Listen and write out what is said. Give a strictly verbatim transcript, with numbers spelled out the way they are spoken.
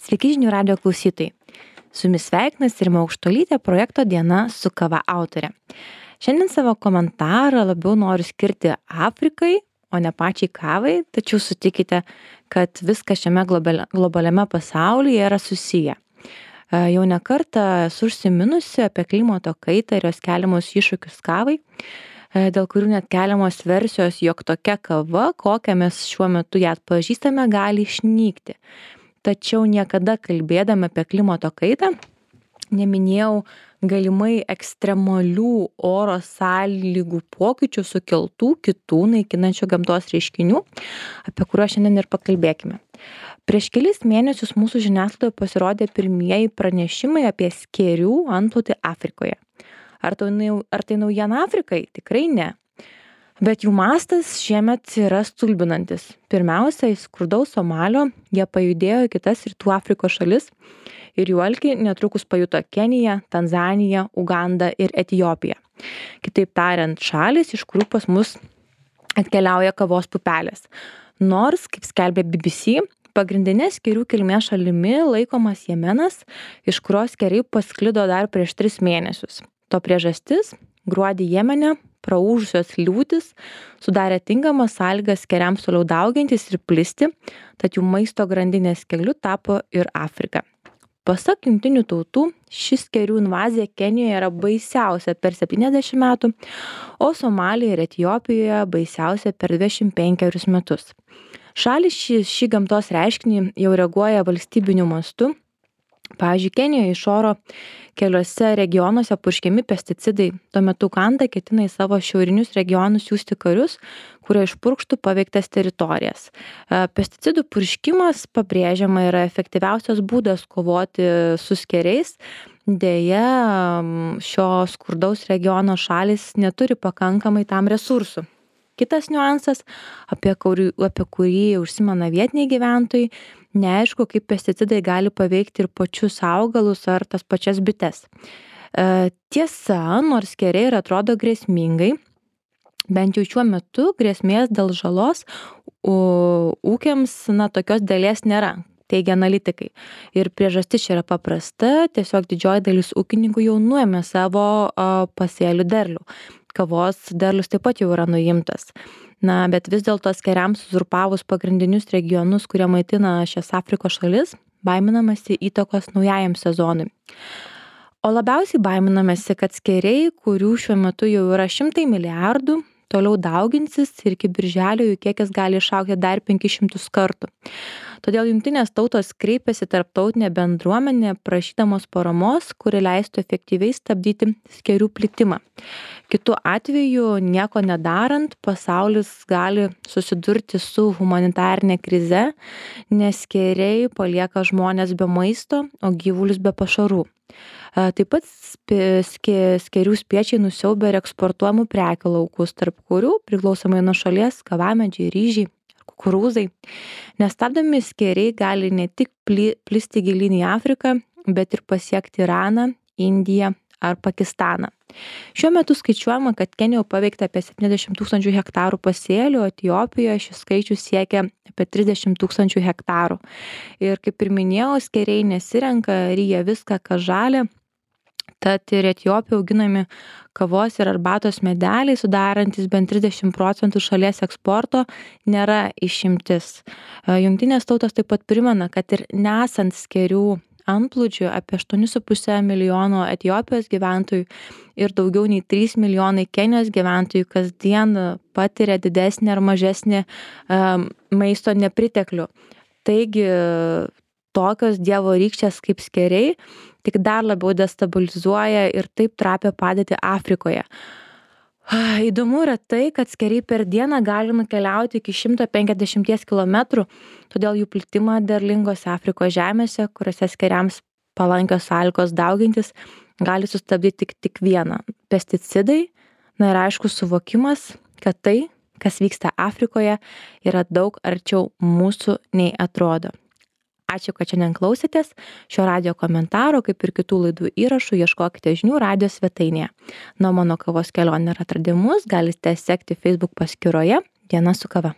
Sveiki žinių radijo klausytojai. Su jumis sveikinasi Rima Aukštuolytė, projekto Diena su kava autorė. Šiandien savo komentarą labiau noriu skirti Afrikai, o ne pačiai kavai, tačiau sutikite, kad viskas šiame globali- globaliame pasaulyje yra susiję. E, Jau ne kartą esu užsiminusi apie klimato kaitą ir jos keliamus iššūkius kavai, e, dėl kurių net keliamos versijos, jog tokia kava, kokią mes šiuo metu ją atpažįstame, gali išnykti. Tačiau niekada kalbėdama apie klimato kaitą neminėjau galimai ekstremalių oro sąlygų pokyčių sukeltų kitų naikinančių gamtos reiškinių, apie kuriuos šiandien ir pakalbėkime. Prieš kelis mėnesius mūsų žiniasklaidoje pasirodė pirmieji pranešimai apie skėrių antplūdį Afrikoje. Ar tai, nau- ar tai naujiena Afrikai? Tikrai ne. Bet jų mastas šiemet yra stulbinantis. Pirmiausia, iš skurdaus Somalio jie pajudėjo į kitas rytų Afrikos šalis ir jų alkį netrukus pajuto Kenija, Tanzanija, Uganda ir Etiopija. Kitaip tariant, šalis, iš kurių pas mus atkeliauja kavos pupelės. Nors, kaip skelbė B B C, pagrindinė skėrių kilmės šalimi laikomas Jemenas, iš kurios skėriai pasklido dar prieš tris mėnesius. To priežastis - gruodį Jemene praūžusios liūtys sudarė tinkamas sąlygas skėriams toliau daugintis ir plisti, tad jų maisto grandinės keliu tapo ir Afrika. Pasak Jungtinių tautų, ši skėrių invazija Kenijoje yra baisiausia per septyniasdešimt metų, o Somalijoje ir Etiopijoje baisiausia per dvidešimt penkerius metus. Šalis šį, šį gamtos reiškinį jau reaguoja valstybiniu mastu. Pavyzdžiui, Kenijoje iš oro keliuose regionuose purškiami pesticidai. Tuo metu Uganda ketina į savo šiaurinius regionus siųsti karius, kurie išpurkštų paveiktas teritorijas. E, Pesticidų purškimas, pabrėžiama, yra efektyviausias būdas kovoti su skėriais. Deja, m, šio skurdaus regiono šalis neturi pakankamai tam resursų. Kitas niuansas, apie kurį, apie kurį užsimena vietiniai gyventojai, neaišku, kaip pesticidai gali paveikti ir pačius augalus ar tas pačias bites. E, Tiesa, nors skėriai ir atrodo grėsmingai, bent jau šiuo metu grėsmės dėl žalos u- ūkiams, na, tokios dalies nėra, teigia analitikai. Ir priežastis čia yra paprasta, tiesiog didžioji dalis ūkininkų jau nuėmė savo a, pasėlių derlių. Kavos derlius taip pat jau yra nuimtas. Na, bet vis dėlto skėriams uzurpavus pagrindinius regionus, kurie maitina šias Afrikos šalis, baiminamasi įtakos naujajam sezonui. O labiausiai baiminamasi, kad skėriai, kurių šiuo metu jau yra šimtai milijardų, toliau dauginsis ir iki birželio jų kiekis gali išaugti dar penkis šimtus kartų. Todėl Jungtinės tautos kreipėsi tarptautinė bendruomenė prašydamos paramos, kuri leistų efektyviai stabdyti skėrių plitimą. Kitu atveju, nieko nedarant, pasaulis gali susidurti su humanitarinė krize, nes skėriai palieka žmonės be maisto, o gyvulius be pašarų. E, Taip pat spė- skė- skėrių spiečiai nusiaubė ir eksportuojamų prekių laukus, tarp kurių priklausomai nuo šalies kavamedžiai, ryžiai, kukurūzai. Nestabdomi skėriai gali ne tik pli- plisti gilyn į Afriką, bet ir pasiekti Iraną, Indiją ar Pakistaną. Šiuo metu skaičiuojama, kad Kenijoje paveikta apie septyniasdešimt tūkstančių hektarų pasėlių, o Etiopijoje šis skaičius siekia apie trisdešimt tūkstančių hektarų. Ir kaip ir minėjau, skėriai nesirenka, ryja viską, kas žalia. Tad ir Etiopijoje auginami kavos ir arbatos medeliai, sudarantis bent trisdešimt procentų šalies eksporto, nėra išimtis. E, Jungtinės tautos taip pat primena, kad ir nesant skėrių antplūdžių apie aštuoni su puse milijono Etiopijos gyventojų ir daugiau nei trys milijonai Kenijos gyventojų kasdien patiria didesnį ar mažesnį um, maisto nepriteklių. Taigi tokios dievo rykštės kaip skėriai tik dar labiau destabilizuoja ir taip trapia padėtį Afrikoje. Ah, Įdomu yra tai, kad skėriai per dieną gali nukeliauti iki šimto penkiasdešimties kilometrų, todėl jų plitimą derlingose Afrikos žemėse, kuriuose skėriams palankios sąlygos daugintis, gali sustabdyti tik, tik vieną - pesticidai. Na ir aišku, suvokimas, kad tai, kas vyksta Afrikoje, yra daug arčiau mūsų nei atrodo. Ačiū, kad šiandien klausėtės. Šio radijo komentaro, kaip ir kitų laidų įrašų, ieškokite žinių radijo svetainėje. Na, o mano kavos kelionė ir atradimus galite sekti Facebook paskyroje Diena su kava.